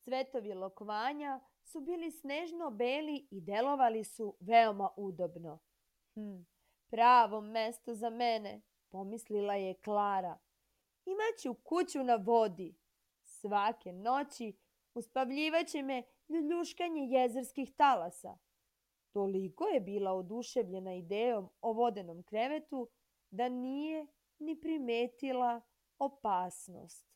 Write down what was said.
Cvetovi lokvanja su bili snežno beli i delovali su veoma udobno. Pravo mesto za mene, pomislila je Klara. Imaću kuću na vodi. Svake noći uspavljivaće me ljuljuškanje jezerskih talasa. Toliko je bila oduševljena idejom o vodenom krevetu da nije ni primetila opasnost.